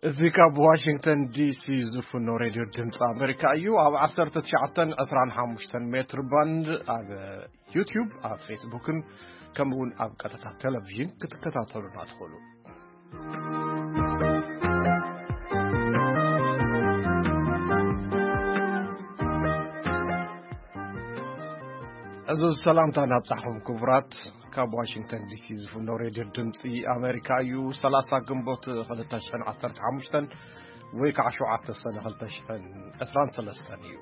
እዚ ካብ ዋሽንግተን ዲሲ ዝፍኖ ሬድዮ ድምፂ ኣሜሪካ እዩ። ኣብ ዓሰርተ ትሽዓተን ዕስራን ሓሙሽተን ሜትር ባንድ ኣብ ዩቲዩብ፣ ኣብ ፌስቡክን ከምኡ እውን ኣብ ቀጥታ ቴሌቪዥን ክትከታተሉና ትኽእሉ። እዚ ሰላምታ ናብጻሕኹም ክቡራት፣ ካብ ዋሽንግተን ዲሲ ዝፍኖ ሬድዮ ድምፂ ኣሜሪካ እዩ። ሰላሳ ግንቦት ክልተ ሽሕን ዓሰርተ ሓሙሽተን ወይ ከዓ ሸውዓተ ሰነ ክልተ ሽሕን ዕስራን ሰለስተን እዩ።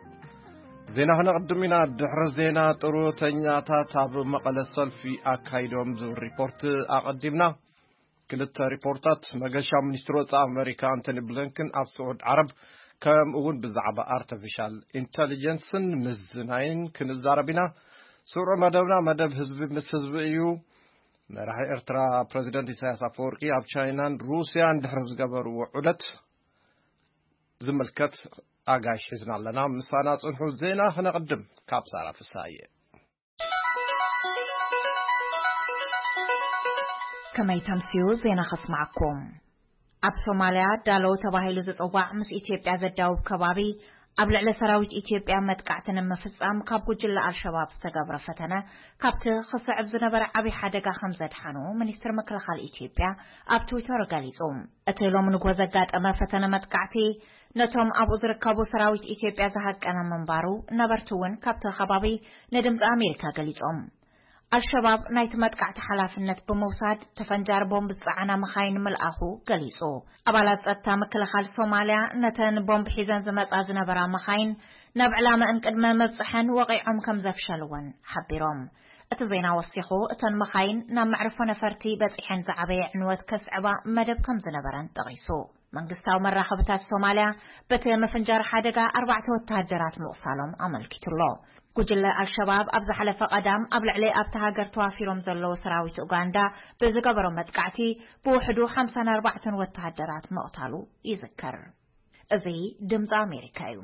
ዜና ክነቕድም ኢና። ድሕሪ ዜና፣ ጥሮተኛታት ኣብ መቐለ ሰልፊ ኣካይዶም ዝብል ሪፖርት ኣቐዲምና። ክልተ ሪፖርታት። መገሻ ሚኒስትሪ ወፃኢ ኣሜሪካ ኣንቶኒ ብሊንከን ኣብ ስዑድ ዓረብ፣ ከምኡ እውን ብዛዕባ ኣርቲፊሻል ኢንተሊጀንስን ምዝናይን ክንዛረብ ኢና። ስሩዕ መደብና መደብ ህዝቢ ምስ ህዝቢ እዩ። መራሒ ኤርትራ ፕረዚደንት ኢሳያስ ኣፈወርቂ ኣብ ቻይናን ሩስያን ድሕሪ ዝገበርዎ ዑደት ዝምልከት ኣጋይሽ ሒዝና ኣለና። ምሳና ጽንሑ። ዜና ክነቕድም ካብ ሳራ ፍሳየ። ከመይ ተምስዩ ዜና ከስማዕኩም። ኣብ ሶማልያ ዳሎ ተባሂሉ ዝጽዋዕ ምስ ኢትዮጵያ ዘዳውብ ከባቢ ኣብ ልዕሊ ሰራዊት ኢትዮጵያ መጥቃዕቲ ንምፍጻም ካብ ጉጅለ ኣልሸባብ ዝተገብረ ፈተነ ካብቲ ክስዕብ ዝነበረ ዓብዪ ሓደጋ ከም ዘድሓኑ ሚኒስትር ምክልኻል ኢትዮጵያ ኣብ ትዊተር ገሊጹ። እቲ ሎም ንግሆ ዘጋጠመ ፈተነ መጥቃዕቲ ነቶም ኣብኡ ዝርከቡ ሰራዊት ኢትዮጵያ ዝሃቀነ ምንባሩ ነበርቲ እውን ካብቲ ከባቢ ንድምፂ ኣሜሪካ ገሊጾም። ኣልሸባብ ናይቲ መጥቃዕቲ ሓላፍነት ብምውሳድ ተፈንጃሪ ቦምብ ዝጸዓና መኻይን ምልኣኹ ገሊጹ። ኣባላት ጸጥታ ምክልኻል ሶማልያ ነተን ቦምብ ሒዘን ዝመጻ ዝነበራ መኻይን ናብ ዕላመአን ቅድመ ምብጽሐን ወቒዖም ከም ዘፍሸልወን ሓቢሮም። እቲ ዜና ወሲኹ እተን መኻይን ናብ መዕርፎ ነፈርቲ በጺሐን ዝዓበየ ዕንወት ከስዕባ መደብ ከም ዝነበረን ጠቒሱ። መንግስታዊ መራኸብታት ሶማልያ በቲ ምፍንጃር ሓደጋ ኣርባዕተ ወተሃደራት ምቑሳሎም ኣመልኪቱሎ። ጉጅለ ኣልሸባብ ኣብ ዝሓለፈ ቀዳም ኣብ ልዕሊ ኣብታ ሃገር ተዋፊሮም ዘለዉ ሰራዊት ኡጋንዳ ብዝገበሮ መጥቃዕቲ ብውሕዱ ሓምሳን ኣርባዕተን ወተሃደራት ምቕታሉ ይዝከር። እዚ ድምፂ ኣሜሪካ እዩ።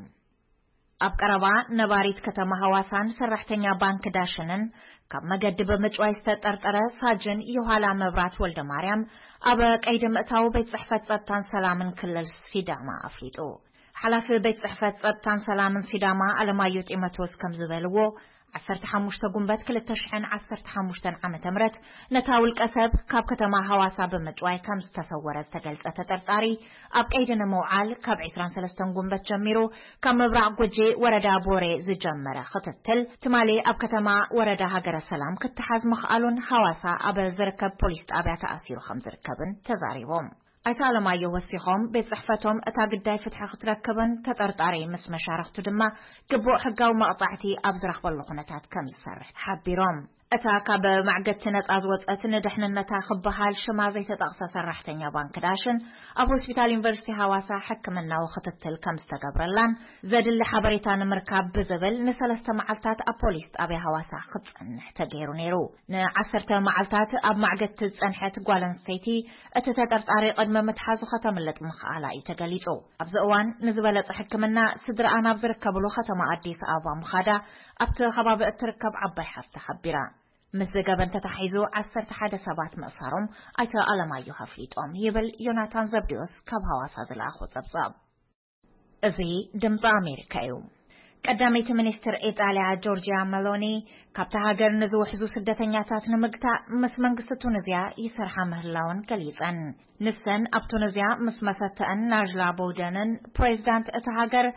ኣብ ቀረባ ነባሪት ከተማ ሃዋሳን ሰራሕተኛ ባንክ ዳሽንን ካብ መገዲ ብምጭዋይ ዝተጠርጠረ ሳጅን ዮሃላ መብራት ወልደ ማርያም ኣብ ቀይዲ ምእታው ቤት ጽሕፈት ጸጥታን ሰላምን ክልል ሲዳማ ኣፍሊጡ። ሓላፊ ቤት ጽሕፈት ጸጥታን ሰላምን ሲዳማ ኣለማዮ ጢሞቴዎስ ከም ዝበልዎ፣ ዓሰርተ ሓሙሽተ ጉንበት ክልተ ሽሕን ዓሰርተ ሓሙሽተን ዓመተ ምህረት ነታ ውልቀ ሰብ ካብ ከተማ ሃዋሳ ብምጭዋይ ከም ዝተሰወረ ዝተገልጸ ተጠርጣሪ፣ ኣብ ቀይዲ ንምውዓል ካብ ዕስራን ሰለስተን ጉንበት ጀሚሩ ካብ ምብራቕ ጉጂ ወረዳ ቦሬ ዝጀመረ ክትትል፣ ትማሊ ኣብ ከተማ ወረዳ ሃገረ ሰላም ክተሓዝ ምኽኣሉን ሃዋሳ ኣብ ዝርከብ ፖሊስ ጣብያ ተኣሲሩ ከም ዝርከብን ተዛሪቦም። ኣይተ ኣለማየሁ ወሲኾም፣ ቤት ጽሕፈቶም እታ ግዳይ ፍትሒ ክትረክብን ተጠርጣሪ ምስ መሻርኽቱ ድማ ግቡእ ሕጋዊ መቕጻዕቲ ኣብ ዝረኽበሉ ኩነታት ከም ዝሰርሕ ሓቢሮም። እታ ካብ ማዕገቲ ነጻ ዝወጸት ንድሕንነታ ክበሃል ሽማ ዘይተጠቕሰ ሰራሕተኛ ባንክ ዳሽን ኣብ ሆስፒታል ዩኒቨርሲቲ ሃዋሳ ሕክምናዊ ክትትል ከም ዝተገብረላን ዘድሊ ሓበሬታ ንምርካብ ብዝብል ንሰለስተ መዓልታት ኣብ ፖሊስ ጣብያ ሃዋሳ ክትጸንሕ ተገይሩ ነይሩ። ንዓሰርተ መዓልታት ኣብ ማዕገቲ ዝጸንሐት ጓል ኣንስተይቲ እቲ ተጠርጣሪ ቅድሚ ምትሓዙ ከተምልጥ ምኽኣላ እዩ ተገሊጹ። ኣብዚ እዋን ንዝበለጸ ሕክምና ስድራኣ ናብ ዝርከብሉ ከተማ ኣዲስ ኣበባ ምኻዳ ኣብቲ ከባቢ እትርከብ ዓባይ ሓፍታ ሓቢራ። ምስ ዘገበን ተታሒዙ ዓሰርተ ሓደ ሰባት ምእሳሮም ኣይተ ኣለማየሁ ኣፍሊጦም ይብል ዮናታን ዘብዴዎስ ካብ ሃዋሳ ዝለኣኾ ጸብጻብ። እዚ ድምፂ ኣሜሪካ እዩ። ቀዳመይቲ ሚኒስትር ኢጣልያ ጆርጂያ መሎኒ ካብታ ሃገር ንዝውሕዙ ስደተኛታት ንምግታእ ምስ መንግስቲ ቱኒዝያ ይሰርሓ ምህላወን ገሊጸን። ንሰን ኣብ ቱኒዝያ ምስ መሰተአን ናጅላ ቦውደንን ፕሬዚዳንት እታ ሃገር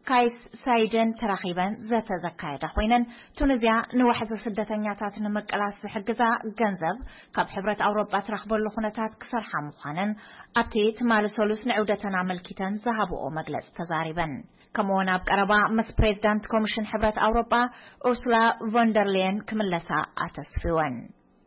ካይስ ሳይድን ተራኺበን ዘተ ዘካየዳ ኮይነን፣ ቱኒዝያ ንዋሕዚ ስደተኛታት ንምቅላስ ዝሕግዛ ገንዘብ ካብ ሕብረት ኣውሮጳ ትረኽበሉ ኩነታት ክሰርሓ ምዃነን ኣብቲ ትማሊ ሰሉስ ንዕውደተን ኣመልኪተን ዝሃብኦ መግለጺ ተዛሪበን። ከምኡውን ኣብ ቀረባ ምስ ፕሬዚዳንት ኮሚሽን ሕብረት ኣውሮጳ ኡርሱላ ቮንደርሌየን ክምለሳ ኣተስፊወን።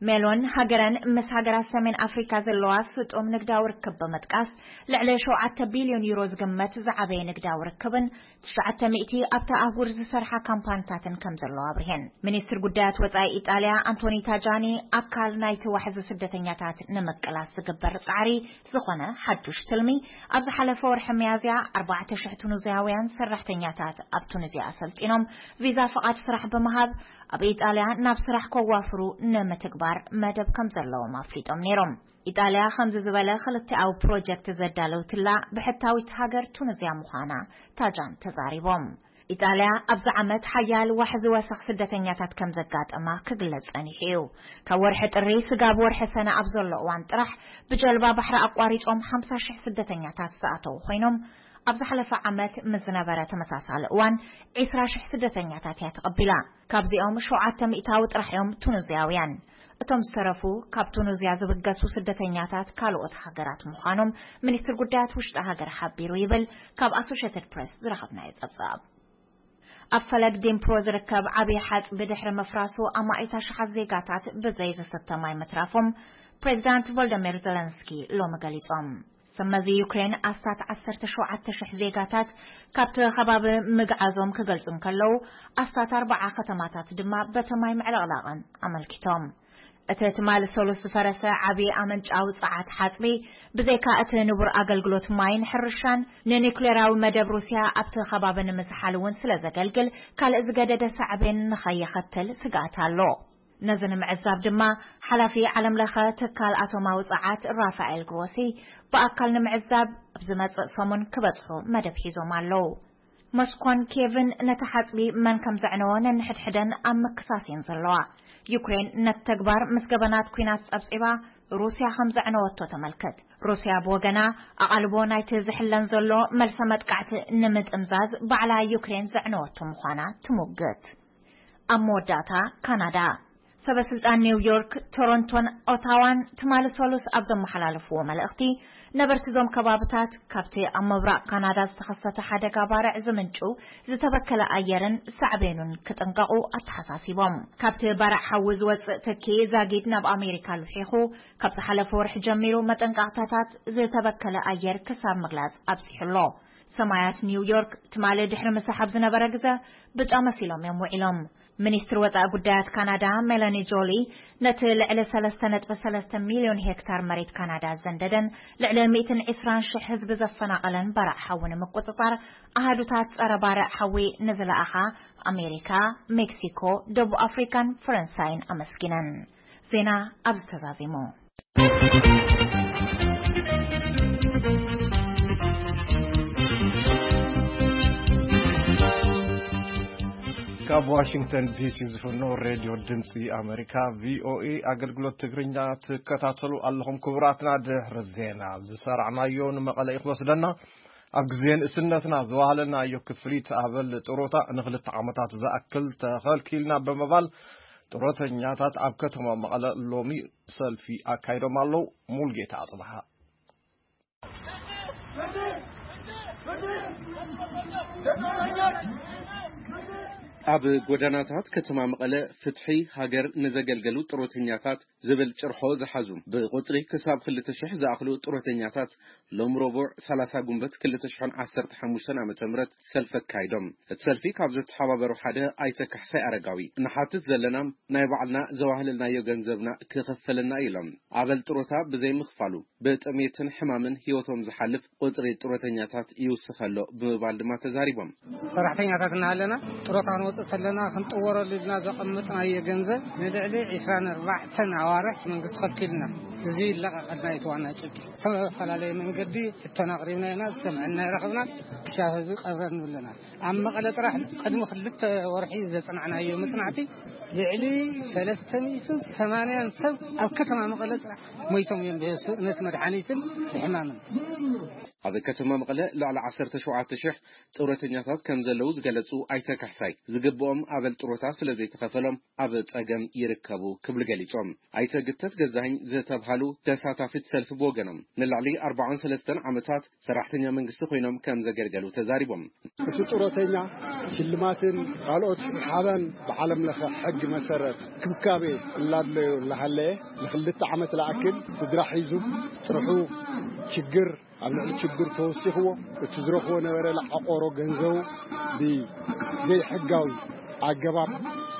ሜሎን ሃገረን ምስ ሃገራት ሰሜን ኣፍሪካ ዘለዋ ስጡም ንግዳዊ ርክብ ብምጥቃስ፣ ልዕሊ ሸውዓተ ቢልዮን ዩሮ ዝግመት ዝዓበየ ንግዳዊ ርክብን ትሽዓተ ሚእቲ ኣብታ ኣህጉር ዝሰርሓ ካምፓኒታትን ከም ዘለዋ ኣብሪሄን። ሚኒስትር ጉዳያት ወጻኢ ኢጣልያ ኣንቶኒ ታጃኒ፣ ኣካል ናይቲ ዋሕዚ ስደተኛታት ንምቅላስ ዝግበር ጻዕሪ ዝኾነ ሓዱሽ ትልሚ፣ ኣብ ዝሓለፈ ወርሒ ሚያዝያ ኣርባዕተ ሽሕ ቱኒዝያውያን ሰራሕተኛታት ኣብ ቱኒዝያ ኣሰልጢኖም ቪዛ ፍቓድ ስራሕ ብምሃብ ኣብ ኢጣልያ ናብ ስራሕ ከዋፍሩ ንምትግባር መደብ ከም ዘለዎም ኣፍሊጦም ነይሮም። ኢጣልያ ከምዚ ዝበለ ክልቲኣዊ ፕሮጀክት ዘዳለውትላ ብሕታዊት ሃገር ቱኒዝያ ምዃና ታጃን ተዛሪቦም። ኢጣልያ ኣብዚ ዓመት ሓያል ዋሕ ዝወሰኽ ስደተኛታት ከም ዘጋጠማ ክግለጽ ጸኒሑ እዩ። ካብ ወርሒ ጥሪ ስጋብ ወርሒ ሰነ ኣብ ዘሎ እዋን ጥራሕ ብጀልባ ባሕሪ ኣቋሪጾም ሓምሳ ሽሕ ስደተኛታት ዝኣተዉ ኮይኖም፣ ኣብ ዝሓለፈ ዓመት ምስ ዝነበረ ተመሳሳሊ እዋን ዒስራ ሽሕ ስደተኛታት እያ ተቐቢላ። ካብዚኦም ሸውዓተ ሚእታዊ ጥራሕ እዮም ቱኒዝያውያን። እቶም ዝተረፉ ካብ ቱኒዝያ ዝብገሱ ስደተኛታት ካልኦት ሃገራት ምዃኖም ሚኒስትር ጉዳያት ውሽጢ ሃገር ሓቢሩ ይብል ካብ ኣሶሽየትድ ፕሬስ ዝረኸብናዮ ጸብጻብ። ኣብ ፈለግ ዲምፕሮ ዝርከብ ዓብዪ ሓጽቢ ድሕሪ ምፍራሱ ኣማኢት ኣሽሓት ዜጋታት ብዘይ ዝስተ ማይ ምትራፎም ፕሬዚዳንት ቮልደሚር ዘለንስኪ ሎሚ ገሊጾም። ሰመዚ ዩክሬን ኣስታት ዓሰርተ ሸውዓተ ሽሕ ዜጋታት ካብቲ ከባቢ ምግዓዞም ክገልጹ እንከለዉ፣ ኣስታት ኣርባዓ ከተማታት ድማ በቲ ማይ ምዕልቕላቐን ኣመልኪቶም። እቲ ትማሊ ሰሉስ ዝፈረሰ ዓቢ ኣመንጫዊ ጸዓት ሓጽቢ፣ ብዘይካ እቲ ንቡር ኣገልግሎት ማይን ሕርሻን፣ ንኒኩሌራዊ መደብ ሩስያ ኣብቲ ከባቢ ንምዝሓል እውን ስለ ዘገልግል፣ ካልእ ዝገደደ ሳዕቤን ንኸየኸትል ስግኣት ኣሎ። ነዚ ንምዕዛብ ድማ፣ ሓላፊ ዓለምለኸ ትካል ኣቶማዊ ጸዓት ራፋኤል ግሮሲ ብኣካል ንምዕዛብ ኣብ ዝመጽእ ሰሙን ክበጽሑ መደብ ሒዞም ኣለዉ። ሞስኮን ኬቭን ነቲ ሓጽቢ መን ከም ዘዕነዎ ነንሕድሕደን ኣብ ምክሳስ እየን ዘለዋ። ዩክሬን ነቲ ተግባር ምስ ገበናት ኲናት ጸብጺባ፣ ሩስያ ከም ዘዕነወቶ ተመልክት። ሩስያ ብወገና፣ ኣቓልቦ ናይቲ ዝሕለን ዘሎ መልሰ መጥቃዕቲ ንምጥምዛዝ ባዕላ ዩክሬን ዘዕነወቶ ምዃና ትሙግት። ኣብ መወዳእታ፣ ካናዳ። ሰበ ስልጣን ኒውዮርክ፣ ቶሮንቶን ኦታዋን ትማሊ ሰሉስ ኣብ ዘመሓላለፍዎ መልእኽቲ፣ ነበርቲ እዞም ከባብታት ካብቲ ኣብ ምብራቕ ካናዳ ዝተኸሰተ ሓደጋ ባርዕ ዝምንጩ ዝተበከለ ኣየርን ሳዕቤኑን ክጥንቀቑ ኣተሓሳሲቦም። ካብቲ ባርዕ ሓዊ ዝወጽእ ትኪ ዛጊድ ናብ ኣሜሪካ ልሒኹ፣ ካብ ዝሓለፈ ወርሒ ጀሚሩ መጠንቀቕታታት ዝተበከለ ኣየር ክሳብ ምግላጽ ኣብጺሑ ኣሎ። ሰማያት ኒውዮርክ ትማሊ ድሕሪ ምስሓብ ዝነበረ ግዘ ብጫ መሲሎም እዮም ውዒሎም። ሚኒስትር ወጻኢ ጉዳያት ካናዳ ሜላኒ ጆሊ፣ ነቲ ልዕሊ ሰለስተ ነጥቢ ሰለስተ ሚልዮን ሄክታር መሬት ካናዳ ዘንደደን ልዕሊ ሚእትን ዕስራን ሽሕ ህዝቢ ዘፈናቐለን ባርዕ ሓዊ ንምቁጽጻር፣ ኣሃዱታት ጸረ ባርዕ ሓዊ ንዝለኣኻ ኣሜሪካ፣ ሜክሲኮ፣ ደቡብ ኣፍሪካን ፈረንሳይን ኣመስጊነን። ዜና ኣብዚ ተዛዚሙ። ካብ ዋሽንግተን ዲሲ ዝፍኖ ሬድዮ ድምፂ ኣሜሪካ፣ ቪኦኤ፣ ኣገልግሎት ትግርኛ ትከታተሉ ኣለኹም። ክቡራትና፣ ድሕሪ ዜና ዝሰራዕናዮ ንመቐለ እዩ ክወስደና። ኣብ ግዜ ንእስነትና ዝዋሃለናዮ ክፍሊት ኣበል ጥሮታ ንክልተ ዓመታት ዝኣክል ተኸልኪልና ብምባል ጥሮተኛታት ኣብ ከተማ መቐለ ሎሚ ሰልፊ ኣካይዶም ኣለዉ። ሙልጌታ ኣጽብሃ። ኣብ ጎደናታት ከተማ መቐለ፣ ፍትሒ ሃገር ንዘገልገሉ ጥሮተኛታት ዝብል ጭርሖ ዝሓዙ፣ ብቁጽሪ ክሳብ ክልተ ሽሕ ዝኣኽሉ ጥሮተኛታት ሎም ረቡዕ ሰላሳ ጉንበት ክልተ ሽሕን ዓሰርተ ሓሙሽተን ዓመተ ምህረት ሰልፊ ኣካይዶም። እቲ ሰልፊ ካብ ዘተሓባበሩ ሓደ ኣይተ ካሕሳይ ኣረጋዊ፣ "ንሓትት ዘለና ናይ ባዕልና ዘዋህለልናዮ ገንዘብና ክኸፈለና እዩ" ኢሎም። ኣበል ጥሮታ ብዘይምኽፋሉ ብጥሜትን ሕማምን ህይወቶም ዝሓልፍ ቁጽሪ ጥሮተኛታት ይውስኽ ኣሎ ብምባል ድማ ተዛሪቦም። ሰራሕተኛታት እናሃለና ጥሮታ ክንወፅእ ተለና ክንጥወረሉ ኢልና ዘቐመጥናዮ ገንዘብ ንልዕሊ ዕስራን ኣርባዕተን ኣዋርሕ መንግስቲ ከልኪልና። እዚ ይለቐቐልና እዩ እቲ ዋና ጭብጢ። ዝተፈላለየ መንገዲ ሕቶና ኣቕሪብና ኢና፣ ዝሰምዐና ኣይረኸብናን። ክሻብ ህዝቢ ቀብረን ንብለና። ኣብ መቐለ ጥራሕ ቅድሚ ክልተ ወርሒ ዘጽናዕናዮ መጽናዕቲ ልዕሊ ሰለስተ ሚእትን ሰማንያን ሰብ ኣብ ከተማ መቐለ ጥራሕ ሞይቶም እዮም ብስእነት መድሓኒትን ብሕማምን። ኣብ ከተማ መቐለ ልዕሊ ዓሰርተ ሸውዓተ ሽሕ ጥሮተኛታት ከም ዘለዉ ዝገለጹ ኣይተ ካሕሳይ፣ ዝግብኦም ኣበል ጥሮታ ስለ ዘይተኸፈሎም ኣብ ጸገም ይርከቡ ክብሉ ገሊጾም። ኣይተ ግተት ገዛኸኝ ዝተብሃሉ ተሳታፊት ሰልፊ ብወገኖም፣ ንልዕሊ ኣርባዓን ሰለስተን ዓመታት ሰራሕተኛ መንግስቲ ኮይኖም ከም ዘገልገሉ ተዛሪቦም። እቲ ጥሮተኛ ሽልማትን ካልኦት ሓበን ብዓለም ለኸ ሕጊ መሰረት ክብካቤ እናድለዮ እናሃለየ ንክልተ ዓመት ለኣክል ስድራ ሒዙ ጥርሑ ችግር ኣብ ልዕሊ ችግር ተወሲኽዎ እቲ ዝረኽቦ ነበረ ለዓቆሮ ገንዘቡ ብዘይሕጋዊ ኣገባብ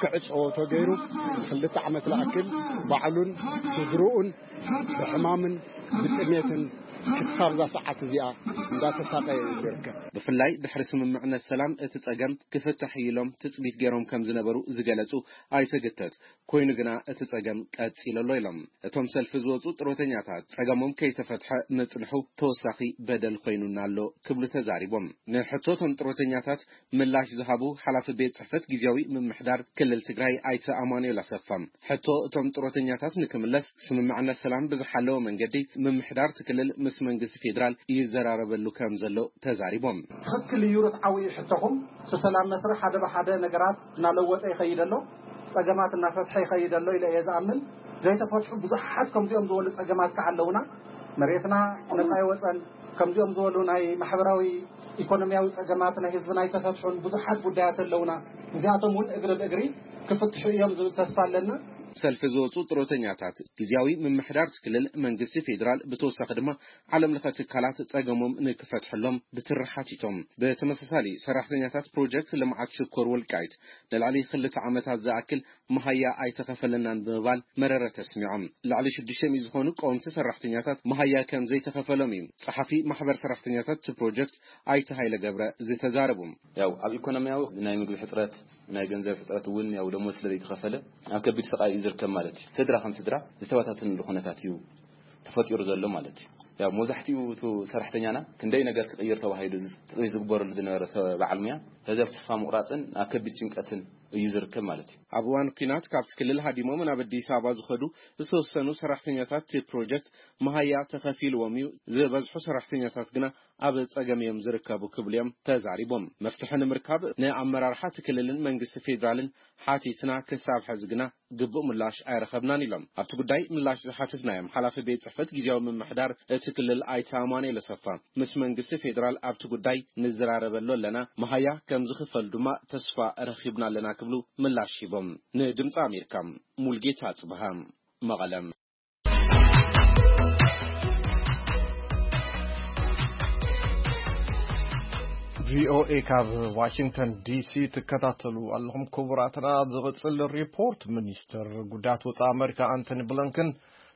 ክዕጸዎ ተገይሩ ንክልተ ዓመት ለኣክል ባዕሉን ስድርኡን ብሕማምን ብጥሜትን ክሳብ እዛ ሰዓት እዚኣ እንዳተሳቀየ እዩ ዝርከብ። ብፍላይ ድሕሪ ስምምዕነት ሰላም እቲ ጸገም ክፍታሕ እዩ ኢሎም ትጽቢት ገይሮም ከም ዝነበሩ ዝገለጹ ኣይተ ግተት፣ ኮይኑ ግና እቲ ጸገም ቀጺሉ ኣሎ ኢሎም። እቶም ሰልፊ ዝወጹ ጥሮተኛታት ጸገሞም ከይተፈትሐ ምጽንሑ ተወሳኺ በደል ኮይኑና ኣሎ ክብሉ ተዛሪቦም። ንሕቶ እቶም ጥሮተኛታት ምላሽ ዝሃቡ ሓላፊ ቤት ጽሕፈት ግዜያዊ ምምሕዳር ክልል ትግራይ ኣይተ ኣማኑኤል ኣሰፋ፣ ሕቶ እቶም ጥሮተኛታት ንክምለስ ስምምዕነት ሰላም ብዝሓለወ መንገዲ ምምሕዳር እቲ ክልል ምስ መንግስቲ ፌዴራል ይዘራረበሉ ከም ዘሎ ተዛሪቦም። ትኽክል እዩ፣ ርትዓዊ እዩ ሕቶኹም። እቲ ሰላም መስርሕ ሓደ ብሓደ ነገራት እናለወጠ ይኸይድ ኣሎ፣ ጸገማት እናፈትሐ ይኸይድ ኣሎ ኢለ እየ ዝኣምን። ዘይተፈትሑ ብዙሓት ከምዚኦም ዝበሉ ጸገማት ከዓ ኣለውና። መሬትና ነጻ ይወጸን፣ ከምዚኦም ዝበሉ ናይ ማሕበራዊ ኢኮኖሚያዊ ጸገማት ናይ ህዝብና ኣይተፈትሑን ብዙሓት ጉዳያት ኣለውና። እዚኣቶም እውን እግሪ ብእግሪ ክፍትሑ እዮም ዝብል ተስፋ ኣለና። ሰልፊ ዝወፁ ጥሮተኛታት ግዜያዊ ምምሕዳር እቲ ክልል መንግስቲ ፌዴራል ብተወሳኺ ድማ ዓለም ለኸ ትካላት ጸገሞም ንክፈትሐሎም ብትሪ ሓቲቶም። ብተመሳሳሊ ሰራሕተኛታት ፕሮጀክት ልምዓት ሽኮር ወልቃይት ንልዕሊ ክልተ ዓመታት ዝኣክል መሃያ ኣይተኸፈለናን ብምባል መረረ ተስሚዖም። ልዕሊ ሽዱሽተ ሚእቲ ዝኾኑ ቀወምቲ ሰራሕተኛታት መሃያ ከም ዘይተኸፈሎም እዩ ጸሓፊ ማሕበር ሰራሕተኛታት እቲ ፕሮጀክት ኣይተ ሃይለ ገብረ ዝተዛረቡ። ያው ኣብ ኢኮኖሚያዊ ናይ ምግቢ ሕጽረት፣ ናይ ገንዘብ ሕጽረት እውን ያው ደሞዝ ስለ ዘይተኸፈለ ኣብ ከቢድ ስቓይ እዩ ዝርከብ ማለት እዩ። ስድራ ከም ስድራ ዝተበታተንሉ ኩነታት እዩ ተፈጢሩ ዘሎ ማለት እዩ። ያው መብዛሕትኡ እቲ ሰራሕተኛና ክንደይ ነገር ክቕይር ተባሂሉ ትጽቢት ዝግበረሉ ዝነበረ ሰብ በዓል ሙያ፣ ተዘብ ተስፋ ምቑራጽን ኣብ ከቢድ ጭንቀትን እዩ ዝርከብ ማለት እዩ። ኣብ እዋን ኲናት ካብቲ ክልል ሃዲሞም ናብ ኣዲስ ኣበባ ዝኸዱ ዝተወሰኑ ሰራሕተኛታት እቲ ፕሮጀክት መሃያ ተኸፊልዎም እዩ፣ ዝበዝሑ ሰራሕተኛታት ግና ኣብ ጸገም እዮም ዝርከቡ ክብሉ እዮም ተዛሪቦም። መፍትሒ ንምርካብ ንኣመራርሓ እቲ ክልልን መንግስቲ ፌዴራልን ሓቲትና ክሳብ ሕዚ ግና ግቡእ ምላሽ ኣይረኸብናን ኢሎም። ኣብቲ ጉዳይ ምላሽ ዝሓተትናዮም ሓላፊ ቤት ጽሕፈት ግዜያዊ ምምሕዳር እቲ ክልል ኣይተ ኣማኑኤል ኣሰፋ፣ ምስ መንግስቲ ፌዴራል ኣብቲ ጉዳይ ንዘራረበሉ ኣለና፣ መሃያ ከም ዝኽፈል ድማ ተስፋ ረኺብና ኣለና ክብሉ ምላሽ ሂቦም። ንድምፂ ኣሜሪካ ሙልጌታ ኣጽብሃ፣ መቐለም። ቪኦኤ ካብ ዋሽንግተን ዲሲ ትከታተሉ ኣለኹም ክቡራትና። ዝቕጽል ሪፖርት፣ ሚኒስትር ጉዳያት ወጻኢ ኣመሪካ ኣንቶኒ ብሊንከን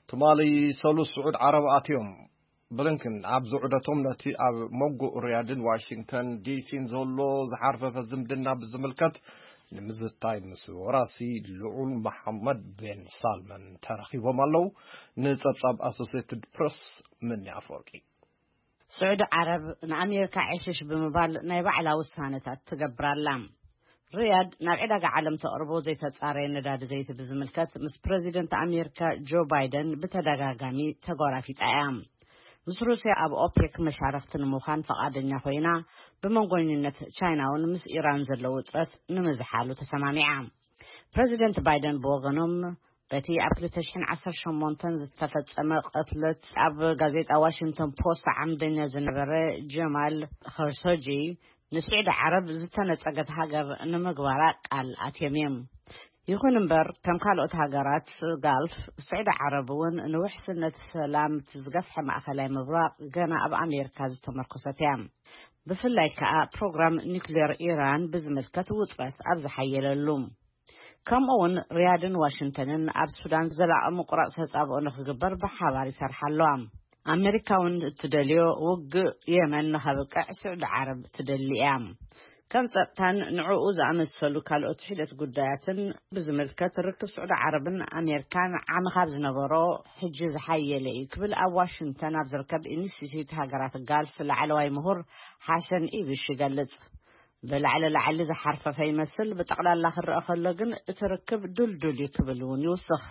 ትማሊ ሰሉስ ስዑድ ዓረብ ኣትዮም። ብሊንከን ኣብዚ ዑደቶም ነቲ ኣብ መንጎ ሪያድን ዋሽንግተን ዲሲን ዘሎ ዝሓርፈፈ ዝምድና ብዝምልከት ንምዝታይ ምስ ወራሲ ልዑል መሓመድ ቤን ሳልመን ተራኺቦም ኣለዉ። ንጸብጻብ ኣሶሴትድ ፕረስ ምኒ ኣፈወርቂ። ስዑዲ ዓረብ ንኣሜሪካ ዕሽሽ ብምባል ናይ ባዕላ ውሳነታት ትገብር ኣላ። ሪያድ ናብ ዕዳጋ ዓለም ተቕርቦ ዘይተጻረየ ነዳዲ ዘይቲ ብዝምልከት ምስ ፕረዚደንት ኣሜሪካ ጆ ባይደን ብተደጋጋሚ ተጓራፊጻ እያ። ምስ ሩስያ ኣብ ኦፔክ መሻርኽቲ ንምዃን ፈቓደኛ ኮይና፣ ብመንጎኝነት ቻይና እውን ምስ ኢራን ዘሎ ውጥረት ንምዝሓሉ ተሰማሚዓ። ፕረዚደንት ባይደን ብወገኖም፣ በቲ ኣብ ክልተ ሽሕን ዓሰርተ ሸሞንተን ዝተፈጸመ ቅትለት ኣብ ጋዜጣ ዋሽንግተን ፖስት ዓምደኛ ዝነበረ ጀማል ኸርሶጂ፣ ንስዑዲ ዓረብ ዝተነጸገት ሃገር ንምግባራ ቃል ኣትዮም እዮም። ይኹን እምበር፣ ከም ካልኦት ሃገራት ጋልፍ፣ ስዑዲ ዓረብ እውን ንውሕስነት ሰላም እቲ ዝገፍሐ ማእከላይ ምብራቕ ገና ኣብ ኣሜሪካ ዝተመርኮሰት እያ። ብፍላይ ከኣ ፕሮግራም ኒውክሌር ኢራን ብዝምልከት ውጥረት ኣብ ዝሓየለሉ። ከምኡ እውን ሪያድን ዋሽንግተንን ኣብ ሱዳን ዘላቒ ምቁራጽ ተጻብኦ ንኽግበር ብሓባር ይሰርሓ ኣለዋ። ኣሜሪካ እውን እትደልዮ ውግእ የመን ንኸብቅዕ ስዑዲ ዓረብ ትደሊ እያ። ከም ጸጥታን ንዕኡ ዝኣመሰሉ ካልኦት ሒደት ጉዳያትን ብዝምልከት፣ ርክብ ስዑዲ ዓረብን ኣሜሪካን ዓሚ ካብ ዝነበሮ ሕጂ ዝሓየለ እዩ ክብል ኣብ ዋሽንግተን ኣብ ዝርከብ ኢንስቲትዩት ሃገራት ጋልፍ ላዕለዋይ ምሁር ሓሰን ኢብሽ ይገልጽ። ብላዕሊ ላዕሊ ዝሓርፈፈ ይመስል፣ ብጠቕላላ ክረአ ከሎ ግን እቲ ርክብ ድልዱል እዩ ክብል እውን ይውስኽ።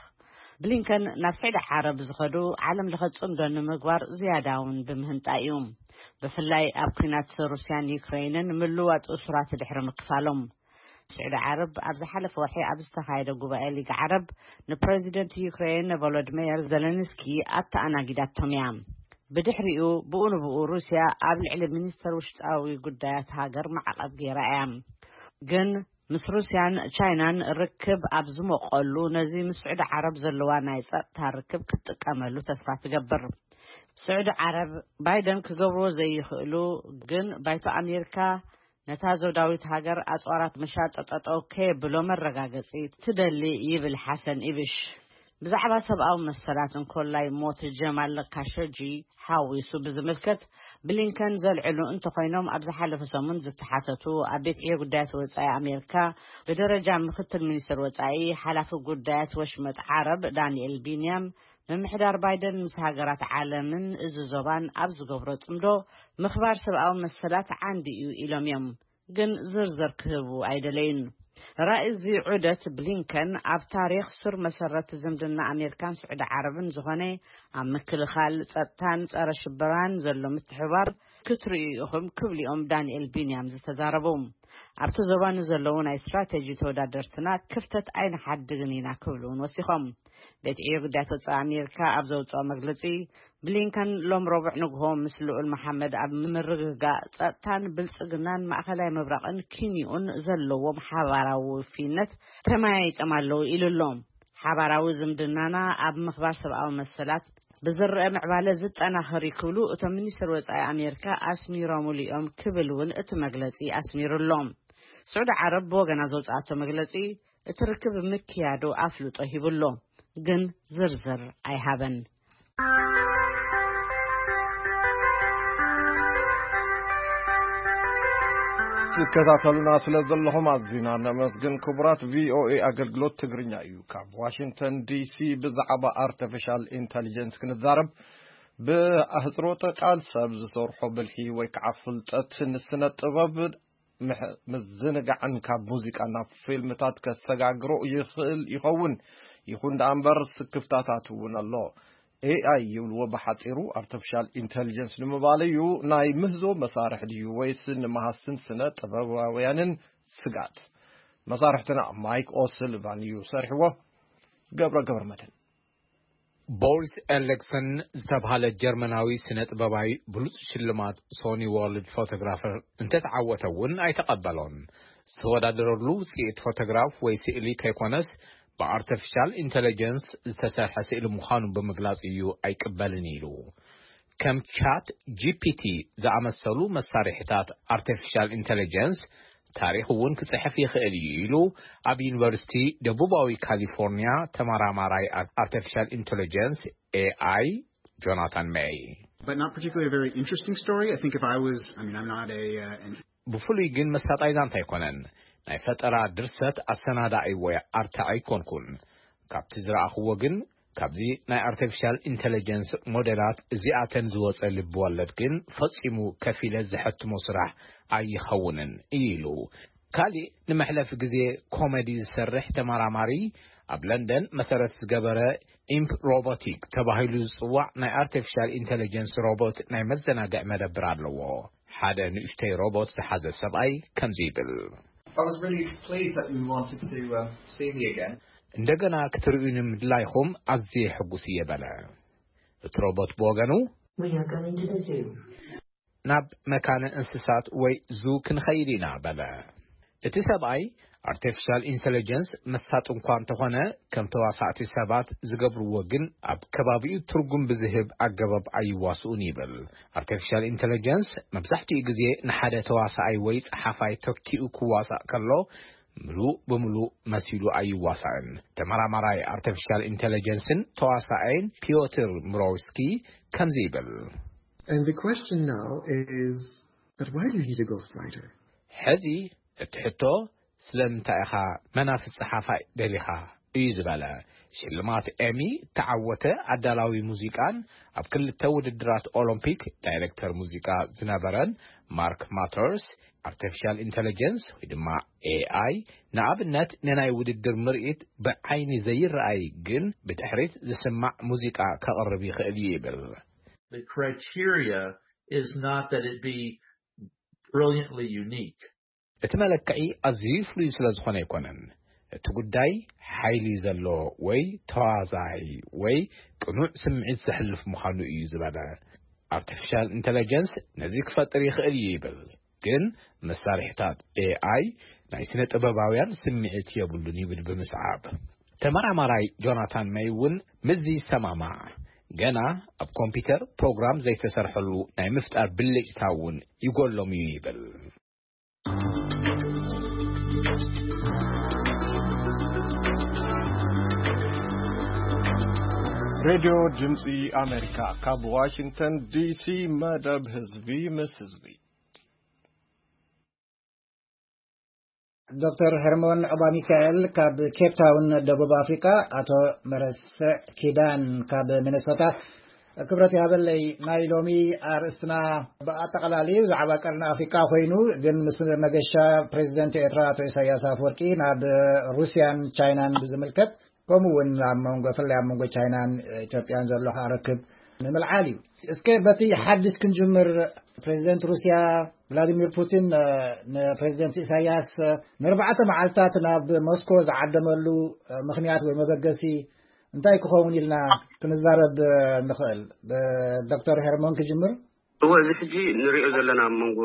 ብሊንከን ናብ ስዑዲ ዓረብ ዝኸዱ ዓለም ለኸ ጽምዶ ንምግባር ዝያዳ እውን ብምህንጣ እዩ። ብፍላይ ኣብ ኲናት ሩስያን ዩክሬንን ምልዋጥ እሱራት ድሕሪ ምክፋሎም። ስዑዲ ዓረብ ኣብ ዝሓለፈ ወርሒ ኣብ ዝተኻየደ ጉባኤ ሊግ ዓረብ ንፕረዚደንት ዩክሬን ቮሎዲሚር ዘለንስኪ ኣተኣናጊዳቶም እያ። ብድሕሪኡ ብኡ ንብኡ ሩስያ ኣብ ልዕሊ ሚኒስተር ውሽጣዊ ጉዳያት ሃገር ማዕቐብ ገይራ እያ። ግን ምስ ሩስያን ቻይናን ርክብ ኣብ ዝሞቐሉ፣ ነዚ ምስ ስዑዲ ዓረብ ዘለዋ ናይ ጸጥታ ርክብ ክትጥቀመሉ ተስፋ ትገብር። ስዑዲ ዓረብ፣ ባይደን ክገብርዎ ዘይኽእሉ ግን ባይቶ ኣሜሪካ ነታ ዞዳዊት ሃገር ኣጽዋራት ምሻጥ ጠጠው ከየብሎ መረጋገጺ ትደሊ ይብል ሓሰን ኢብሽ። ብዛዕባ ሰብኣዊ መሰላት እንኮላይ ሞት ጀማል ካሾጂ ሓዊሱ ብዝምልከት ብሊንከን ዘልዕሉ እንተኾይኖም፣ ኣብ ዝሓለፈ ሰሙን ዝተሓተቱ ኣብ ቤት ዕዮ ጉዳያት ወጻኢ ኣሜሪካ ብደረጃ ምክትል ሚኒስትር ወጻኢ ሓላፊ ጉዳያት ወሽመጥ ዓረብ ዳንኤል ቢንያም፣ ምምሕዳር ባይደን ምስ ሃገራት ዓለምን እዚ ዞባን ኣብ ዝገብሮ ጽምዶ ምኽባር ሰብኣዊ መሰላት ዓንዲ እዩ ኢሎም እዮም። ግን ዝርዝር ክህቡ ኣይደለዩን። ራእይ እዚ ዑደት ብሊንከን ኣብ ታሪኽ ሱር መሰረት ዝምድና ኣሜሪካን ስዑዲ ዓረብን ዝኾነ ኣብ ምክልኻል፣ ጸጥታን ጸረ ሽበራን ዘሎ ምትሕባር ክትርእዩ ኢኹም ክብሉ እዮም ዳንኤል ቢንያም ዝተዛረቡ። ኣብቲ ዞባ ንዘለዉ ናይ ስትራቴጂ ተወዳደርትና ክፍተት ኣይንሓድግን ኢና ክብሉ እውን ወሲኾም። ቤት ዕዮ ጉዳያት ወጻኢ ኣሜሪካ ኣብ ዘውፅኦ መግለፂ፣ ብሊንከን ሎም ረቡዕ ንግሆ ምስ ልኡል መሓመድ ኣብ ምርግጋእ ጸጥታን ብልጽግናን ማእኸላይ ምብራቕን ኪንዮን ዘለዎም ሓባራዊ ውፍይነት ተመያይጦም ኣለዉ ኢሉ ኣሎ። ሓባራዊ ዝምድናና ኣብ ምኽባር ሰብኣዊ መሰላት ብዝረአ ምዕባለ ዝጠናኸር እዩ ክብሉ እቶም ሚኒስትር ወጻኢ ኣሜሪካ ኣስሚሮምሉ እዮም ክብል እውን እቲ መግለጺ ኣስሚሩ ኣሎ። ስዑዲ ዓረብ ብወገና ዘውፅኣቶ መግለጺ እቲ ርክብ ምክያዱ ኣፍልጦ ሂቡ ኣሎ፣ ግን ዝርዝር ኣይሃበን። ትከታተሉና ስለ ዘለኹም ኣዚና ነመስግን። ክቡራት ቪኦኤ ኣገልግሎት ትግርኛ እዩ። ካብ ዋሽንግተን ዲሲ ብዛዕባ ኣርቲፊሻል ኢንተሊጀንስ ክንዛረብ፣ ብኣህጽሮተ ቃል ሰብ ዝሰርሖ ብልሒ ወይ ከዓ ፍልጠት ንስነ ጥበብ ምሕ- ምዝንጋዕን ካብ ሙዚቃ ናብ ፊልምታት ከሰጋግሮ ይኽእል ይኸውን። ይኹን ደኣ እምበር ስክፍታታት እውን ኣሎ። ኤኣይ ይብልዎ ብሓጺሩ ኣርቲፊሻል ኢንተሊጀንስ ንምባል እዩ። ናይ ምህዞ መሳርሒ ድዩ ወይስ ንመሃዝትን ስነ ጥበባውያንን ስጋት? መሳርሕትና ማይክ ኦስልቫን እዩ ሰርሕዎ። ገብረ ገብረ መድህን። ቦሪስ ኤሌክሰን ዝተብሃለ ጀርመናዊ ስነ ጥበባዊ ብሉጽ ሽልማት ሶኒ ወርልድ ፎቶግራፈር እንተተዓወተ እውን ኣይተቐበሎን። ዝተወዳደረሉ ውጽኢት ፎቶግራፍ ወይ ስእሊ ከይኮነስ ብኣርቲፊሻል ኢንተለጀንስ ዝተሰርሐ ስእሊ ምዃኑ ብምግላጽ እዩ ኣይቅበልን ኢሉ። ከም ቻት ጂፒቲ ዝኣመሰሉ መሳርሒታት ኣርቲፊሻል ኢንተለጀንስ ታሪኽ እውን ክጽሕፍ ይኽእል እዩ ኢሉ ኣብ ዩኒቨርሲቲ ደቡባዊ ካሊፎርኒያ ተመራማራይ ኣርቲፊሻል ኢንተለጀንስ ኤኣይ ጆናታን ሜይ። But not particularly a very interesting story. I think if I was, I mean, I'm not a, uh, an ብፍሉይ ግን መሳጣይ ዛንታ ኣይኮነን። ናይ ፈጠራ ድርሰት ኣሰናዳኢ ወይ ኣርታዒ ኣይኮንኩን። ካብቲ ዝረኣኽዎ ግን ካብዚ ናይ ኣርቲፊሻል ኢንተለጀንስ ሞዴላት እዚኣተን ዝወጸ ልቢ ወለድ ግን ፈጺሙ ከፊለ ዝሐትሞ ስራሕ ኣይኸውንን እዩ ኢሉ። ካሊእ ንመሕለፊ ግዜ ኮሜዲ ዝሰርሕ ተመራማሪ ኣብ ለንደን መሰረት ዝገበረ ኢምፕ ሮቦቲክ ተባሂሉ ዝጽዋዕ ናይ ኣርቲፊሻል ኢንተለጀንስ ሮቦት ናይ መዘናግዒ መደብር ኣለዎ። ሓደ ንእሽተይ ሮቦት ዝሓዘ ሰብኣይ ከምዚ ይብል። I was really pleased that you wanted to um, see me again. እንደገና ክትርእዩኒ ምድላይኹም ኣዝየ ሕጉስ እየ በለ። እቲ ሮቦት ብወገኑ We are going to the zoo. ናብ መካነ እንስሳት ወይ ዙ ክንኸይድ ኢና በለ። እቲ ሰብኣይ ኣርቲፊሻል ኢንተለጀንስ መሳጥ እንኳ እንተኾነ ከም ተዋሳእቲ ሰባት ዝገብርዎ ግን ኣብ ከባቢኡ ትርጉም ብዝህብ ኣገባብ ኣይዋስኡን ይብል። ኣርቲፊሻል ኢንተለጀንስ መብዛሕትኡ ግዜ ንሓደ ተዋሳኣይ ወይ ጸሓፋይ ተኪኡ ክዋሳእ ከሎ ምሉእ ብምሉእ መሲሉ ኣይዋሳእን። ተመራማራይ ኣርቲፊሻል ኢንተለጀንስን ተዋሳኣይን ፒዮትር ምሮውስኪ ከምዚ ይብል። And the question now is that why do you need a ghostwriter? ሕዚ እቲ ሕቶ ስለምንታይ ኢኻ መናፍስ ጸሓፋይ ደሊኻ እዩ ዝበለ። ሽልማት ኤሚ እተዓወተ ኣዳላዊ ሙዚቃን ኣብ ክልተ ውድድራት ኦሎምፒክ ዳይሬክተር ሙዚቃ ዝነበረን ማርክ ማተርስ ኣርቲፊሻል ኢንተለጀንስ ወይ ድማ ኤኣይ ንኣብነት ንናይ ውድድር ምርኢት ብዓይኒ ዘይረኣይ ግን ብድሕሪት ዝስማዕ ሙዚቃ ከቕርብ ይኽእል እዩ ይብል። The criteria is not that it be brilliantly unique. እቲ መለክዒ ኣዝዩ ፍሉይ ስለ ዝኾነ ኣይኮነን። እቲ ጉዳይ ሓይሊ ዘለዎ ወይ ተዋዛይ ወይ ቅኑዕ ስምዒት ዘሕልፍ ምዃኑ እዩ ዝበለ። ኣርቲፊሻል ኢንተለጀንስ ነዚ ክፈጥር ይኽእል እዩ ይብል፣ ግን መሳርሒታት ኤኣይ ናይ ስነ ጥበባውያን ስምዒት የብሉን ይብል ብምስዓብ። ተመራማራይ ጆናታን መይ እውን ምስዚ ይሰማማዕ። ገና ኣብ ኮምፒውተር ፕሮግራም ዘይተሰርሐሉ ናይ ምፍጣር ብልጭታ እውን ይጎሎም እዩ ይብል። ሬድዮ ድምፂ ኣሜሪካ ካብ ዋሽንግተን ዲሲ፣ መደብ ህዝቢ ምስ ህዝቢ። ዶክተር ሄርሞን ኦባሚካኤል ካብ ኬፕ ታውን ደቡብ ኣፍሪካ፣ ኣቶ መረስዕ ኪዳን ካብ ሚነሶታ። ክብረት ይሃበለይ። ናይ ሎሚ ኣርእስትና ብኣጠቓላሊ ብዛዕባ ቀርኒ ኣፍሪካ ኮይኑ፣ ግን ምስ መገሻ ፕሬዚደንት ኤርትራ ኣቶ ኢሳያስ ኣፈወርቂ ናብ ሩስያን ቻይናን ብዝምልከት፣ ከምኡ እውን ኣብ መንጎ፣ ብፍላይ ኣብ መንጎ ቻይናን ኢትዮጵያን ዘሎ ከዓ ርክብ ንምልዓል እዩ። እስከ በቲ ሓድሽ ክንጅምር። ፕሬዚደንት ሩስያ ቭላዲሚር ፑቲን፣ እ፣ ንፕሬዚደንት ኢሳያስ፣ እ፣ ንኣርባዕተ መዓልታት ናብ ሞስኮ ዝዓደመሉ፣ እ፣ ምኽንያት ወይ መበገሲ እንታይ ክኸውን ኢልና ክንዛረብ፣ እ፣ ንኽእል? ብ-፣ ዶክተር ሄርሞን ክጅምር። እወ፣ እዚ ሕጂ ንሪኦ ዘለና ኣብ መንጎ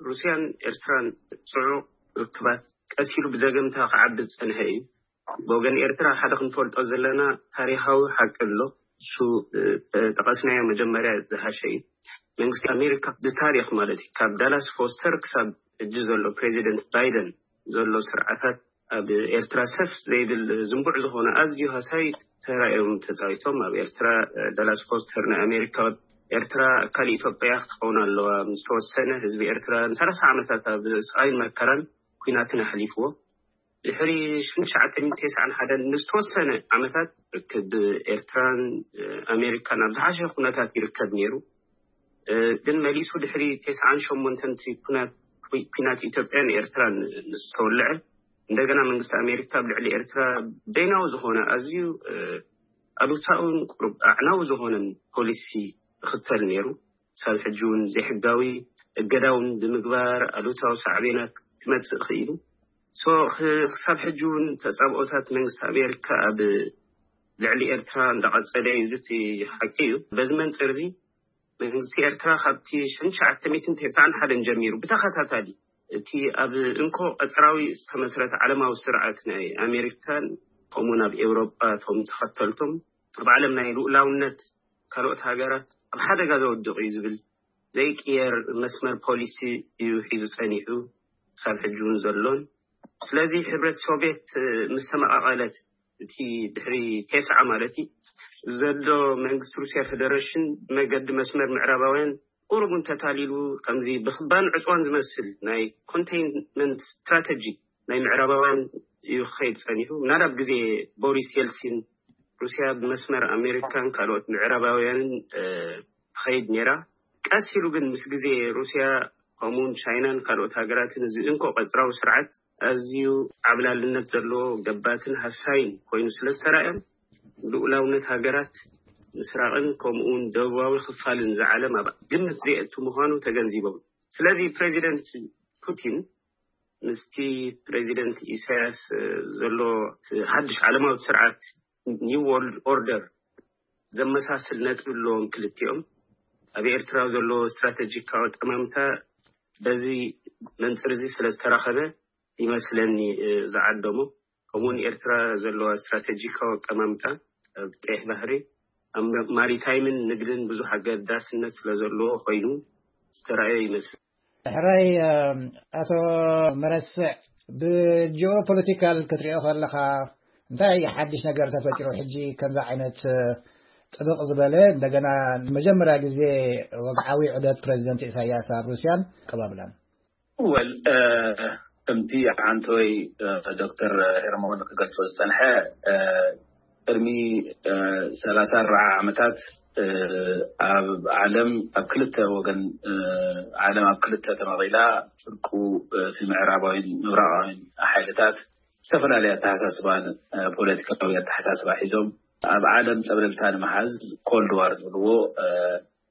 ሩስያን ኤርትራን ጽዑቕ ርክባት ቀስ ኢሉ ብዘገምታ ክዓቢ ዝጸንሐ እዩ። ብወገን ኤርትራ ሓደ ክንፈልጦ ዘለና ታሪኻዊ ሓቂ ኣሎ። እሱ፣ እ፣ ጠቐስናዮ መጀመርያ ዝሓሸ እዩ። መንግስቲ ኣሜሪካ ብታሪኽ ማለት እዩ፣ ካብ ዳላስ ፎስተር ክሳብ ሕጂ ዘሎ ፕሬዚደንት ባይደን ዘሎ ስርዓታት ኣብ ኤርትራ ሰፍ ዘይብል ዝንቡዕ ዝኾነ ኣዝዩ ሃሳይ ተራ እዮም ተጻዊቶም። ኣብ ኤርትራ፣ እ፣ ዳላስ ፎስተር ንኣሜሪካ፣ ኤርትራ ኣካል ኢትዮጵያ ክትኸውን ኣለዋ ምስ ተወሰነ፣ ህዝቢ ኤርትራ ንሰላሳ ዓመታት ኣብ ስቓይን መከራን ኲናትን ኣሕሊፍዎ። ድሕሪ ሽሕን ትሽዓተ ሚእትን ተስዓን ሓደን ንዝተወሰነ ዓመታት ርክብ ኤርትራን፣ እ፣ ኣሜሪካን ኣብ ዝሓሸ ኩነታት ይርከብ ነይሩ። እ፣ ግን መሊሱ ድሕሪ ተስዓን ሸሞንተን እቲ ኩናት፣ ኩ-፣ ኩናት ኢትዮጵያን ኤርትራን ምስ ተወልዐ፣ እንደገና መንግስቲ ኣሜሪካ ኣብ ልዕሊ ኤርትራ በይናዊ ዝኾነ ኣዝዩ፣ እ፣ ኣሉታውን ቁሩብ ኣዕናዊ ዝኾነን ፖሊሲ ይኽተል ነይሩ። ክሳብ ሕጂ እውን ዘይሕጋዊ እገዳ እውን ብምግባር ኣሉታዊ ሳዕቤናት ክመጽእ ክኢሉ። ሶ፣ ክ-፣ ክሳብ ሕጂ እውን ተጻብኦታት መንግስቲ ኣሜሪካ ኣብ ልዕሊ ኤርትራ እንዳቐጸለ እዩ። እዚ እቲ ሓቂ እዩ። በዚ መንጽር እዚ መንግስቲ ኤርትራ ካብቲ ሽሕን ትሽዓተ ሚእትን ተስዓን ሓደን ጀሚሩ ብተኸታታሊ እቲ ኣብ እንኮ ቀጽራዊ ዝተመስረተ ዓለማዊ ስርዓት ናይ ኣሜሪካን ከምኡውን ኣብ ኤውሮጳ እቶም ተኸተልቶም ኣብ ዓለም ናይ ልኡላውነት ካልኦት ሃገራት ኣብ ሓደጋ ዘወድቕ እዩ ዝብል ዘይቅየር መስመር ፖሊሲ እዩ ሒዙ ጸኒሑ፣ ክሳብ ሕጂ እውን ዘሎን። ስለዚ ሕብረት ሶቪየት ምስ ተመቓቐለት፣ እቲ ድሕሪ ተስዓ ማለት እዩ፣ ዘሎ መንግስቲ ሩስያ ፌደሬሽን መገዲ መስመር ምዕራባውያን ቁሩብ እውን ተታሊሉ፣ ከምዚ ብኽባን ዕፅዋን ዝመስል ናይ ኮንቴይንመንት ስትራተጂ ናይ ምዕራባውያን እዩ ክኸይድ ጸኒሑ። ምናልባት ግዜ ቦሪስ የልሲን ሩስያ ብመስመር ኣሜሪካን ካልኦት ምዕራባውያንን፣ እ፣ ትኸይድ ነይራ። ቀስ ኢሉ ግን ምስ ግዜ ሩስያ ከምኡውን ቻይናን ካልኦት ሃገራትን እዚ እንኮ ቀጽራዊ ስርዓት ኣዝዩ ዓብላልነት ዘለዎ ገባትን ሃሳይን ኮይኑ ስለ ዝተራእዮም፣ ልኡላውነት ሃገራት ምስራቕን ከምኡውን ደቡባዊ ክፋልን ዝዓለም ኣብ ግምት ዘየእቱ ምዃኑ ተገንዚቦም። ስለዚ ፕሬዚደንት ፑቲን ምስቲ ፕሬዚደንት ኢሳያስ፣ እ፣ ዘሎ እቲ ሓድሽ ዓለማዊ ስርዓት፣ ኒው ወርልድ ኦርደር፣ ዘመሳስል ነጥቢ ኣለዎም ክልቲኦም። ኣብ ኤርትራ ዘሎ ስትራተጂካዊ ኣጠማምታ በዚ መንጽር እዚ ስለ ዝተራኸበ ይመስለኒ፣ እ፣ ዝዓደሞ። ከምኡውን ኤርትራ ዘለዋ ስትራተጂካዊ ኣጠማምታ ኣብ ቀይሕ ባሕሪ፣ ኣብ ማሪታይምን ንግድን ብዙሕ ኣገዳስነት ስለ ዘለዎ ኮይኑ ዝተራእየ ይመስል። ሕራይ፣ እ፣ ኣቶ መረስዕ፣ ብጂኦፖለቲካል ክትሪኦ ከለኻ እንታይ ሓድሽ ነገር ተፈጢሩ? ሕጂ ከምዚ ዓይነት፣ እ፣ ጥብቕ ዝበለ፣ እንደገና ንመጀመርያ ግዜ ወግዓዊ ዑደት ፕሬዚደንት ኢሳያስ ኣብ ሩስያን ኣቀባብላን። ወል፣ እ፣ ከምቲ ዓንተወይ፣ እ፣ ዶክተር ሄርሞን ክገልጾ ዝጸንሐ፣ እ፣ ቅድሚ፣ እ፣ ሰላሳ ኣርባዓ ዓመታት፣ እ፣ ኣብ ዓለም ኣብ ክልተ ወገን፣ እ፣ ዓለም ኣብ ክልተ ተመቒላ፣ ፍርቁ፣ እ፣ እቲ ምዕራባዊን ምብራቓዊን ሓይልታት ዝተፈላለየ ኣተሓሳስባን፣ እ፣ ፖለቲካዊ ኣተሓሳስባ ሒዞም ኣብ ዓለም ጸብለልታ ንምሓዝ ኮልድ ዋር ዝብልዎ፣ እ፣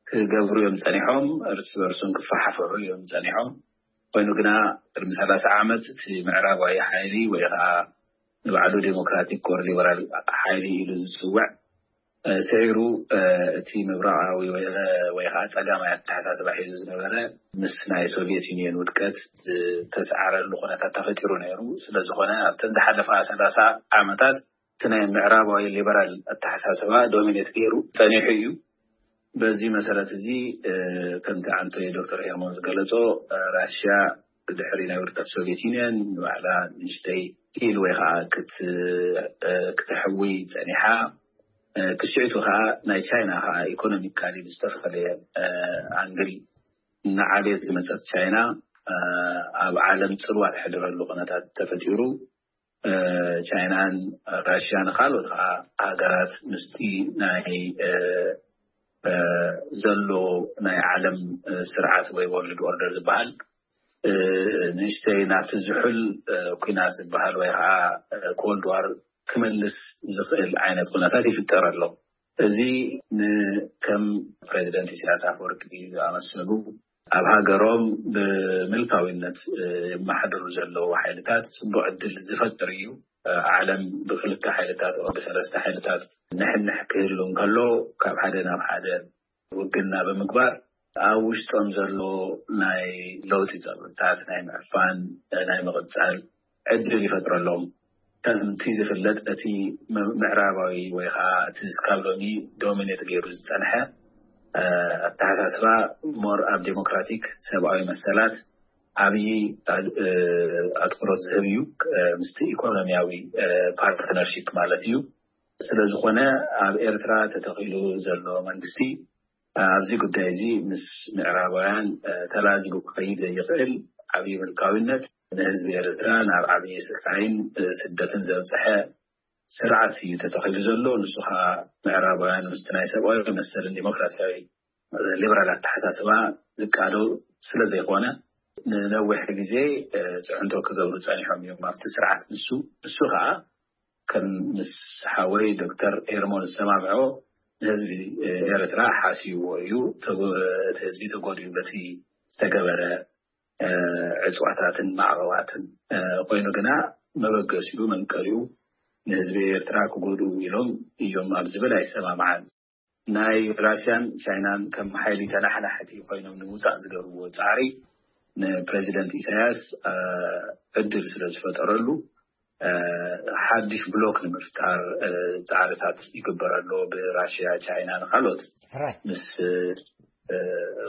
ክገብሩ እዮም ጸኒሖም። እርስ በርሶም ክፈሓፍሑ እዮም ጸኒሖም። ኮይኑ ግና ቅድሚ ሰላሳ ዓመት እቲ ምዕራባዊ ሓይሊ ወይ ኸዓ ንባዕሉ ዴሞክራቲክ ኮር ሊበራል ሓይሊ ኢሉ ዝጽውዕ፣ እ፣ ስዒሩ፣ እ፣ እቲ ምብራቓዊ ወይ፣ እ፣ ወይ ኸዓ ጸጋማይ ኣተሓሳስባ ሒዙ ዝነበረ ምስ ናይ ሶቪየት ዩኒየን ውድቀት ዝተሰዓረሉ ኩነታት ተፈጢሩ ነይሩ። ስለ ዝኾነ ኣብተን ዝሓለፋ ሰላሳ ዓመታት እቲ ናይ ምዕራባዊ ሊበራል ኣተሓሳስባ ዶሚኔት ገይሩ ጸኒሑ እዩ። በዚ መሰረት እዚ፣ እ፣ ከምቲ ዓንቶይ ዶክተር ኤርሞን ዝገለጾ፣ እ፣ ራሽያ ድሕሪ ናይ ውድቀት ሶቪየት ዩኒየን ንባዕላ ንእሽተይ ዲል ወይ ኸዓ ክት-፣ እ፣ ክተሕዊ ጸኒሓ። ክስዕቱ ከዓ ናይ ቻይና ከዓ ኢኮኖሚካሊ ብዝተፈለየ ኣንግል እናዓበየት ዝመፀት ቻይና ኣብ ዓለም ፅልዋ ትሕድረሉ ኩነታት ተፈጢሩ፣ ቻይናን ራሽያን ካልኦት ከዓ ሃገራት ምስቲ ናይ ዘሎ ናይ ዓለም ስርዓት ወይ ወርልድ ኦርደር ዝበሃል ንእሽተይ ናብቲ ዝሑል ኩናት ዝበሃል ወይ ከዓ ኮልድ ዋር ክመልስ ዝኽእል ዓይነት ኩነታት ይፍጠር ኣሎ። እዚ ንከም ፕሬዚደንት ኢሳያስ ኣፈወርቂ ዝኣመሰሉ ኣብ ሃገሮም ብምልካዊነት የመሓድሩ ዘለዉ ሓይልታት ፅቡቅ ዕድል ዝፈጥር እዩ። ዓለም ብክልተ ሓይልታት ብሰለስተ ሓይልታት ንሕንሕ ክህሉ እንከሎ ካብ ሓደ ናብ ሓደ ውግና ብምግባር ኣብ ውሽጦም ዘሎ ናይ ለውጢ ፀብታት ናይ ምዕፋን ናይ ምቕፃል ዕድል ይፈጥረሎም። ከምቲ ዝፍለጥ እቲ ምዕራባዊ ወይ ከዓ እቲ ስካብ ሎሚ ዶሚኔት ገይሩ ዝፀንሐ ኣተሓሳስባ ሞር ኣብ ዴሞክራቲክ ሰብኣዊ መሰላት ዓብዪ ኣትኩሮት ዝህብ እዩ። ምስቲ ኢኮኖሚያዊ ፓርትነርሺፕ ማለት እዩ። ስለዝኾነ ኣብ ኤርትራ ተተኺሉ ዘሎ መንግስቲ ኣብዚ ጉዳይ እዚ ምስ ምዕራባውያን ተላዚቡ ክኸይድ ዘይኽእል ዓብዪ ምልካዊነት ንህዝቢ ኤርትራ ናብ ዓብዪ ስቃይን ስደትን ዘብፀሐ ስርዓት እዩ ተተኺሉ ዘሎ። ንሱ ከዓ ምዕራባውያን ምስቲ ናይ ሰብኣዊ መሰልን ዲሞክራሲያዊ ሊበራል ኣተሓሳስባ ዝቃዶ ስለ ዘይኮነ ንነዊሕ ግዜ ፅዕንቶ ክገብሩ ፀኒሖም እዮም ኣብቲ ስርዓት። ንሱ ንሱ ከዓ ከም ምስ ሓወይ ዶክተር ኤርሞን ዝሰማምዖ ንህዝቢ ኤርትራ ሓስይዎ እዩ። እቲ ህዝቢ ተጎድዩ በቲ ዝተገበረ ዕፅዋታትን ማዕቐባትን ኮይኑ ግና መበገሲኡ መንቀሊኡ ንህዝቢ ኤርትራ ክጎድኡ ኢሎም እዮም ኣብ ዝብል ኣይሰማምዓን። ናይ ራሽያን ቻይናን ከም ሓይሊ ተናሓናሕቲ ኮይኖም ንምውፃእ ዝገብርዎ ፃዕሪ ንፕሬዚደንት ኢሳያስ ዕድል ስለ ዝፈጠረሉ ሓድሽ ብሎክ ንምፍጣር ፃዕርታት ይግበር ኣሎ ብራሽያ፣ ቻይና ንካልኦት ምስ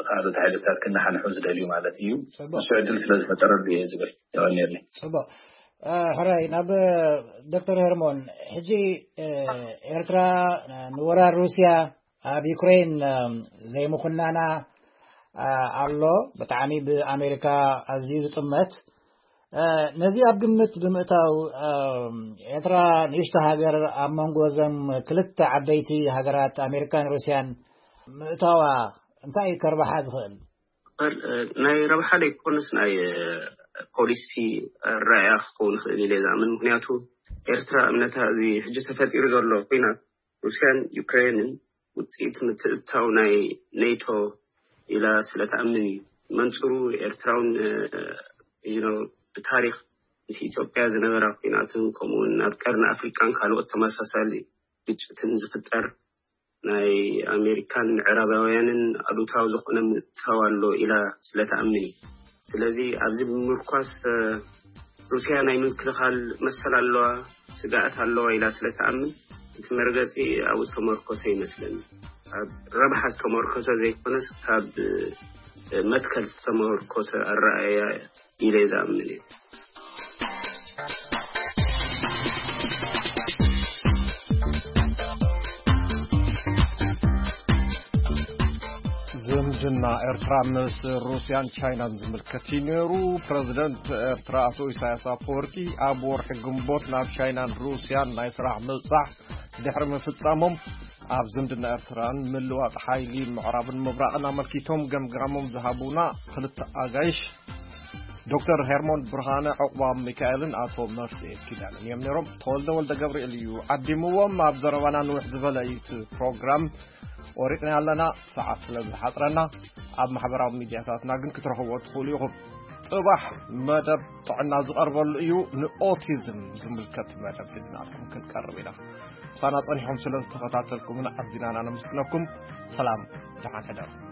ካልኦት ሓይልታት ክነሓንሑ ዝደልዩ ማለት እዩ። ንሱ ዕድል ስለ ዝፈጠረሉ እየ ዝብል። የቐንየለይ። ፅቡቅ። ሕራይ ናብ ዶክተር ሄርሞን፣ ሕጂ ኤርትራ ንወራር ሩስያ ኣብ ዩክሬን ዘይምኹናና ኣሎ። ብጣዕሚ ብኣሜሪካ ኣዝዩ ዝጥመት። ነዚ ኣብ ግምት ብምእታው፣ ኤርትራ ንእሽቶ ሃገር ኣብ መንጎ እዘን ክልተ ዓበይቲ ሃገራት ኣሜሪካን ሩስያን ምእታዋ እንታይ እዩ ከርባሓ ዝኽእል? ናይ ረብሓ ዘይኮነስ ናይ ፖሊሲ ኣረኣእያ ክኸውን ይኽእል ኢለ ዝኣምን። ምክንያቱ ኤርትራ እምነታ እዚ ሕጂ ተፈጢሩ ዘሎ ኩናት ሩስያን ዩክሬንን ውፅኢት ምትእትታው ናይ ኔቶ ኢላ ስለ ትኣምን እዩ። መንፅሩ ኤርትራውን ብታሪክ ምስ ኢትዮጵያ ዝነበራ ኩናትን ከምኡውን ኣብ ቀርኒ ኣፍሪቃን ካልኦት ተመሳሳሊ ግጭትን ዝፍጠር ናይ ኣሜሪካን ምዕራባውያንን ኣሉታዊ ዝኾነ ምእታው ኣሎ ኢላ ስለ ትኣምን እዩ። ስለዚ ኣብዚ ብምምርኳስ ሩስያ ናይ ምክልኻል መሰል ኣለዋ፣ ስግኣት ኣለዋ ኢላ ስለ ትኣምን እቲ መርገፂ ኣብኡ ዝተመርኮሰ ይመስለኒ። ኣብ ረብሓ ዝተመርኮሰ ዘይኮነስ ካብ መትከል ዝተመርኮሰ ኣረኣእያ ኢለ ዝኣምን እየ። ዝምድና ኤርትራ ምስ ሩስያን ቻይናን ዝምልከት እዩ ነይሩ። ፕረዚደንት ኤርትራ ኣቶ ኢሳያስ ኣፈወርቂ ኣብ ወርሒ ግንቦት ናብ ቻይናን ሩስያን ናይ ስራሕ ምብጻሕ ድሕሪ ምፍጻሞም ኣብ ዝምድና ኤርትራን ምልዋጥ ሓይሊ ምዕራብን ምብራቕን ኣመልኪቶም ገምጋሞም ዝሃቡና ክልተ ኣጋይሽ ዶክተር ሄርሞን ብርሃነ ዕቑባብ ሚካኤልን ኣቶ መፍትኤ ኪዳንን እዮም ነይሮም። ተወልደ ወልደ ገብርኤል እዩ ዓዲምዎም። ኣብ ዘረባና ንውሕ ዝበለ እዩ እቲ ፕሮግራም። ቆሪጽና ኣለና፣ ሰዓት ስለ ዝሓጽረና ኣብ ማሕበራዊ ሚድያታትና ግን ክትረኽብዎ ትኽእሉ ኢኹም። ጽባሕ መደብ ጥዕና ዝቐርበሉ እዩ። ንኦቲዝም ዝምልከት መደብ ሒዝናልኩም ክንቀርብ ኢና። ምሳና ጸኒሖም ስለ ዝተኸታተልኩምና ኣዚና ኢና ነመስግነኩም። ሰላም፣ ደሓን ሕደሩ።